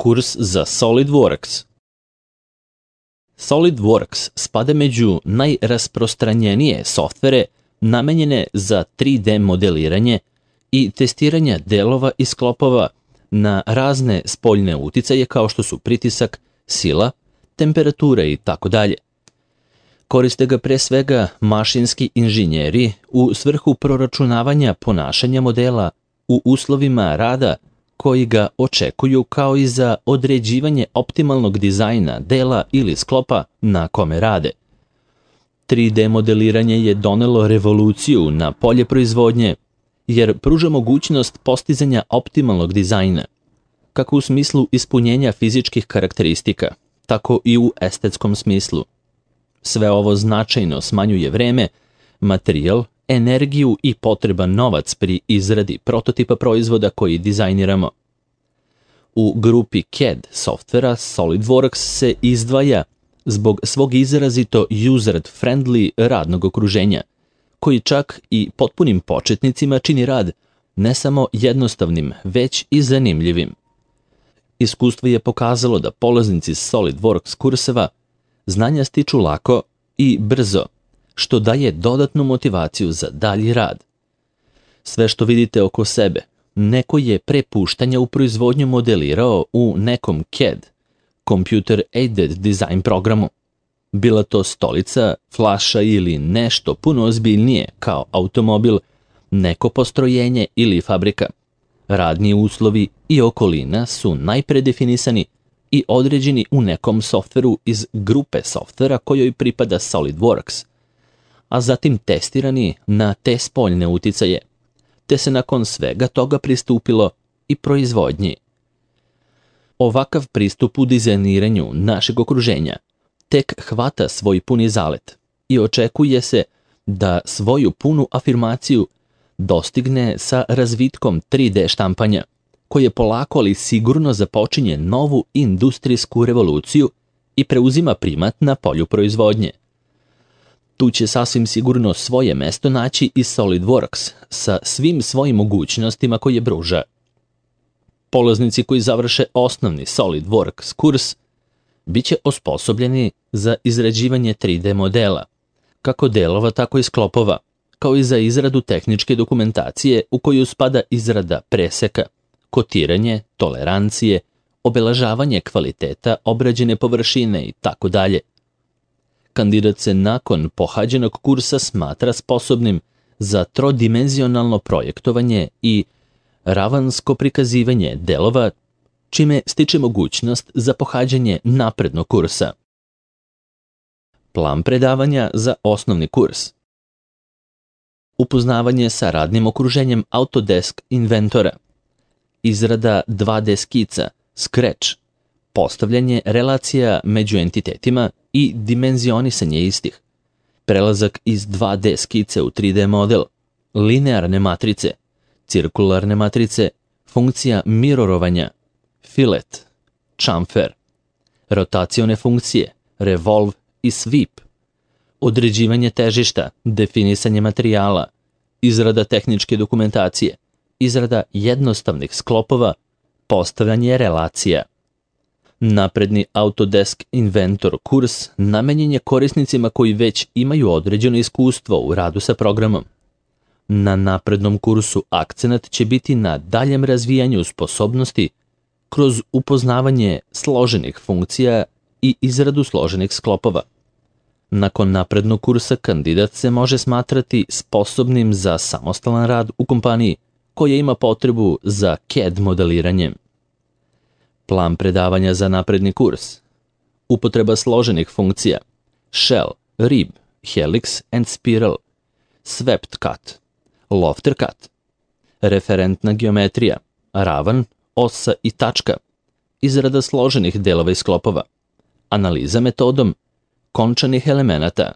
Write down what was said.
Kurs za SolidWorks. SolidWorks spada među najrasprostranjenije softvere namenjene za 3D modeliranje i testiranje delova i sklopova na razne spoljne uticaje kao što su pritisak, sila, temperatura i tako dalje. Koriste ga pre svega mašinski inženjeri u svrhu proračunavanja ponašanja modela u uslovima rada koji ga očekuju, kao i za određivanje optimalnog dizajna dela ili sklopa na kome rade. 3D modeliranje je donelo revoluciju na polje proizvodnje, jer pruža mogućnost postizanja optimalnog dizajna, kako u smislu ispunjenja fizičkih karakteristika, tako i u estetskom smislu. Sve ovo značajno smanjuje vreme, materijal, energiju i potreban novac pri izradi prototipa proizvoda koji dizajniramo. U grupi CAD softvera SolidWorks se izdvaja zbog svog izrazito user-friendly radnog okruženja, koji čak i potpunim početnicima čini rad ne samo jednostavnim, već i zanimljivim. Iskustvo je pokazalo da polaznici SolidWorks kurseva znanja stiču lako i brzo, što daje dodatnu motivaciju za dalji rad. Sve što vidite oko sebe, neko je pre puštanja u proizvodnju modelirao u nekom CAD, Computer Aided Design programu. Bila to stolica, flaša ili nešto puno ozbiljnije kao automobil, neko postrojenje ili fabrika. Radni uslovi i okolina su najpre definisani i određeni u nekom softveru iz grupe softvera kojoj pripada SolidWorks, a zatim testirani na te spoljne uticaje, te se nakon svega toga pristupilo i proizvodnji. Ovakav pristup u dizajniranju našeg okruženja tek hvata svoj puni zalet i očekuje se da svoju punu afirmaciju dostigne sa razvitkom 3D štampanja, koje polako ali sigurno započinje novu industrijsku revoluciju i preuzima primat na polju proizvodnje. Tu će sasvim sigurno svoje mesto naći i SolidWorks sa svim svojim mogućnostima koje pruža. Polaznici koji završe osnovni SolidWorks kurs biće osposobljeni za izrađivanje 3D modela, kako delova tako i sklopova, kao i za izradu tehničke dokumentacije u koju spada izrada preseka, kotiranje, tolerancije, obeležavanje kvaliteta obrađene površine i tako dalje. Kandidat se nakon pohađenog kursa smatra sposobnim za trodimenzionalno projektovanje i ravansko prikazivanje delova, čime stiče mogućnost za pohađanje naprednog kursa. Plan predavanja za osnovni kurs. Upoznavanje sa radnim okruženjem Autodesk Inventora, izrada 2D skica, Scratch, postavljanje relacija među entitetima i dimenzionisanje istih, prelazak iz 2D skice u 3D model, linearne matrice, cirkularne matrice, funkcija mirorovanja, filet, chamfer, rotacione funkcije, revolve i sweep, određivanje težišta, definisanje materijala, izrada tehničke dokumentacije, izrada jednostavnih sklopova, postavljanje relacija. Napredni Autodesk Inventor kurs namenjen je korisnicima koji već imaju određeno iskustvo u radu sa programom. Na naprednom kursu akcenat će biti na daljem razvijanju sposobnosti kroz upoznavanje složenih funkcija i izradu složenih sklopova. Nakon naprednog kursa kandidat se može smatrati sposobnim za samostalan rad u kompaniji koja ima potrebu za CAD modeliranjem. Plan predavanja za napredni kurs. Upotreba složenih funkcija, shell, rib, helix and spiral, swept cut, lofter cut, referentna geometrija, ravan, osa i tačka, izrada složenih delova i sklopova, analiza metodom končanih elemenata,